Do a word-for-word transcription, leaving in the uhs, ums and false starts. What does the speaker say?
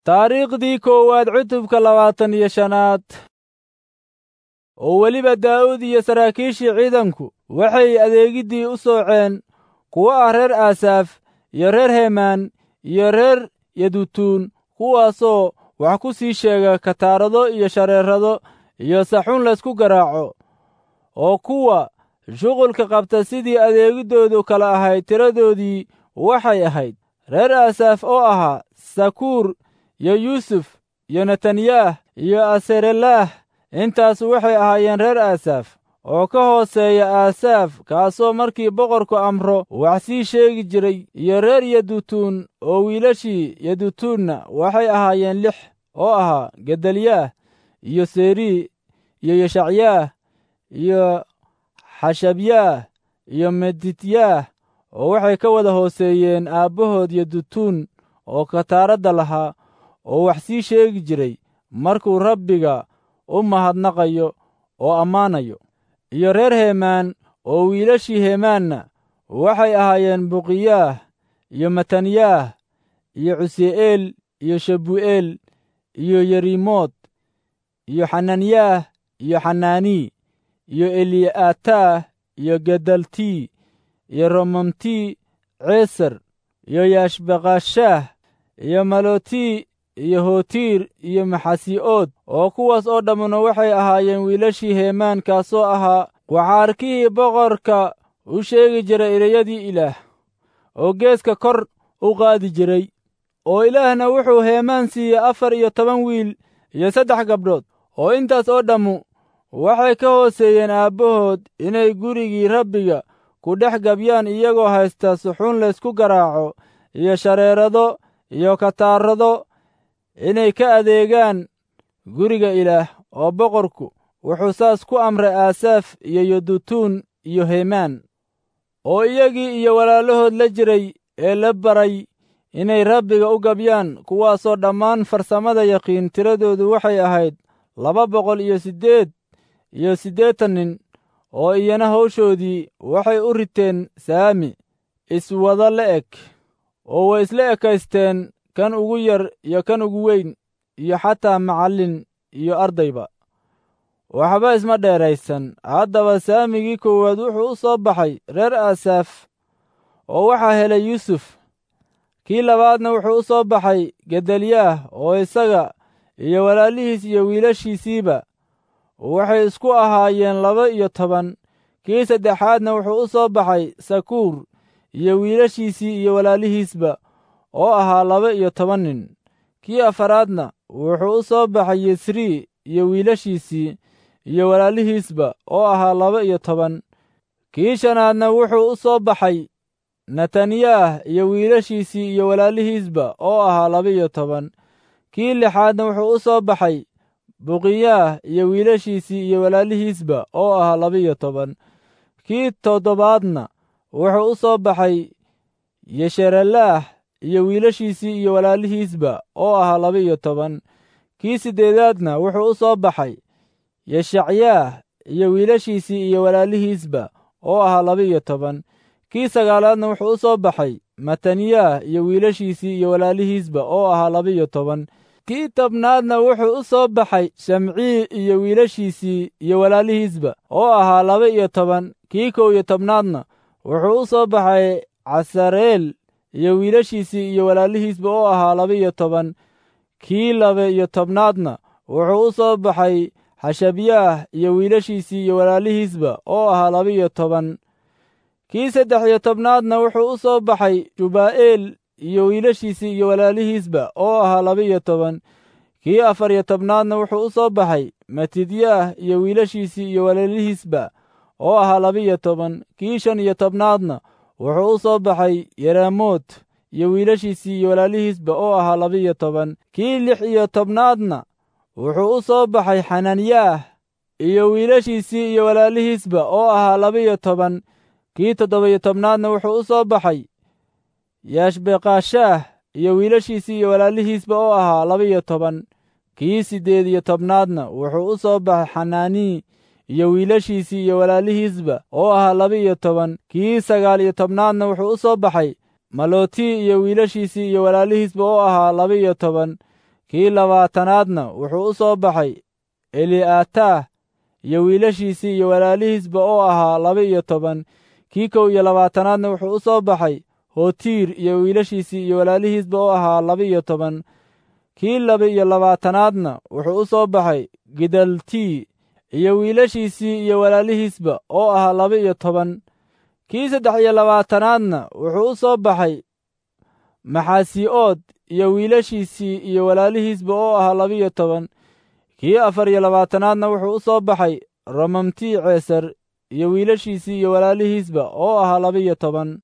Taariikhdii koowaad cutubka labaatan iyo shanaad. Oo weliba Daa'uud iyo saraakiishii ciidanku waxay adeegiddii u sooceen kuwo ah reer Aasaaf iyo reer Hemaan iyo reer Yedutuun, kuwaasoo wax ku sii sheega kataarado iyo shareerado iyo saxuun laysku garaaco, oo kuwa shuqulka qabta sidii adeegiddoodu kala ahayd tiradoodii waxay ahayd reer Aasaaf oo ahaa Sakuur iyo Yuusuf iyo Netanyaah iyo Aserelaah. Intaasu waxay ahaayeen reer Aasaaf oo ka hooseeya Aasaaf, kaasoo markii boqorku amro wax sii sheegi jiray, iyo reer Yedutuun oo wiilashii Yedutuunna waxay ahaayeen lix, oo ahaa Gedalyaah iyo Seri iyo Yeshacyaah iyo Xashabyaah iyo Medityaah, oo waxay ka wada hooseeyeen aabbahood Yedutuun oo kataaradda lahaa, oo wax sii sheegi jiray markuu Rabbiga u mahadnaqayo oo ammaanayo. Iyo reer Hemaan oo wiilashii Hemaanna waxay ahaayeen Buqiyaah iyo Matanyaah iyo Cusi'eel iyo Shebu'eel iyo Yerimood iyo Xananyaah iyo Xanaanii iyo Eli'ataah iyo Gedaltii iyo Romamtii Ceeser iyo Yaashbaqashaah iyo Malotii iyo Hotiir iyo Maxasi'ood, oo kuwaas oo dhammuna waxay ahaayeen wiilashii Hemaan, kaasoo ahaa waxaarkihii boqorka u sheegi jiray ereyadii Ilaah, oo geeska kor u qaadi jiray. Oo Ilaahna wuxuu Hemaan siiyey afar iyo toban wiil iyo saddex gabdhood, oo intaas oo dhammu waxay ka hooseeyeen aabbahood inay gurigii Rabbiga ku dhex gabyaan, iyagoo haysta suxuun laysku garaaco iyo shareerado iyo kataarado inay ka adeegaan guriga Ilaah. Oo boqorku wuxuu saas ku amray Aasaaf iyo Yedutuun iyo Hemaan, oo iyagii iyo walaalahood la jiray ee la baray inay Rabbiga u gabyaan, kuwaasoo dhammaan farsamada yaqiin. Tiradoodu waxay ahayd laba boqol iyo siddeed iyo siddeetan nin, oo iyana hawshoodii waxay u riteen saami iswada la'eg, oo way isla ekaysteen kan ugu yar iyo kan ugu weyn, iyo xataa macallin iyo ardayba waxba isma dheeraysan. Haddaba saamigii koowaad wuxuu u soo baxay reer Aasaaf, oo waxaa helay Yuusuf. Kii labaadna wuxuu u soo baxay Gedalyaah, oo isaga iyo walaalihiis iyo wiilashiisiiba waxay isku ahaayeen laba iyo toban. Kii saddexaadna wuxuu u soo baxay Sakuur iyo wiilashiisii iyo walaalihiisba, oo ahaa laba iyo toban nin. Kii afaraadna wuxuu u soo baxay Yesrii iyo wiilashiisii iyo walaalihiisba, oo ahaa laba iyo toban. Kii shanaadna wuxuu u soo baxay Netanyaah iyo wiilashiisii iyo walaalihiisba, oo ahaa laba iyo toban. Kii lixaadna wuxuu u soo baxay Buqiyaah iyo wiilashiisii iyo walaalihiisba, oo ahaa laba iyo toban. Kii toddobaadna wuxuu u soo baxay Yesherelaah iyo wiilashiisii iyo walaalihiisba, oo ahaa laba iyo toban. Kii siddeedaadna wuxuu u soo baxay Yeshacyaah iyo wiilashiisii iyo walaalihiisba, oo ahaa laba iyo toban. Kii sagaalaadna wuxuu u soo baxay Matanyaah iyo wiilashiisii iyo walaalihiisba, oo ahaa laba iyo toban. Kii tobnaadna wuxuu u soo baxay Shamcii iyo wiilashiisii iyo walaalihiisba, oo ahaa laba iyo toban. Kii kow iyo tobnaadna wuxuu u soo baxay Casareel iyo wiilashiisii iyo walaalihiisba, oo ahaa laba iyo toban. Kii laba iyo tobnaadna wuxuu u soo baxay Xashabyaah iyo wiilashiisii iyo walaalihiisba, oo ahaa laba iyo toban. Kii saddex iyo tobnaadna wuxuu u soo baxay Shubaa'eel iyo wiilashiisii iyo walaalihiisba, oo ahaa laba iyo toban. Kii afar iyo tobnaadna wuxuu u soo baxay Matidyaah iyo wiilashiisii iyo walaalihiisba, oo ahaa laba iyo toban. Kii shan iyo tobnaadna wuxuu u soo baxay Yeremoot iyo wiilashiisii iyo walaalihiisba, oo ahaa laba iyo toban. Kii lix iyo tobnaadna wuxuu u soo baxay Xananyaah iyo wiilashiisii iyo walaalihiisba, oo ahaa laba iyo toban. Kii toddoba iyo tobnaadna wuxuu u soo baxay Yaashbeqashaah iyo wiilashiisii iyo walaalihiisba, oo ahaa laba iyo toban. Kii siddeed iyo tobnaadna wuxuu u soo baxay Xanaanii iyo wiilashiisii iyo walaalihiisba, oo ahaa laba iyo toban. Kii sagaal iyo tobnaadna wuxuu u soo baxay Maloti iyo wiilashiisii iyo walaalihiisba, oo ahaa laba iyo toban. Kii labaatanaadna wuxuu u soo baxay Eli'ataah iyo wiilashiisii iyo walaalihiisba oo ahaa laba-iyo toban. Kii kow iyo labaatanaadna wuxuu u soo baxay Hotiir iyo wiilashiisii iyo walaalihiisba oo ahaa laba-iyo toban. Kii laba-iyo labaatanaadna wuxuu u soo baxay Gidaltii iyo wiilashiisii iyo walaalihiisba oo ahaa laba-iyo toban. Kii saddex iyo labaatanaadna wuxuu u soo baxay Maxasi'ood iyo wiilashiisii iyo walaalihiisba oo ahaa laba-iyo toban. Kii afar iyo labaatanaadna wuxuu u soo baxay Romamtii Ceesar iyo wiilashiisii iyo walaalihiisba oo ahaa laba-iyo toban.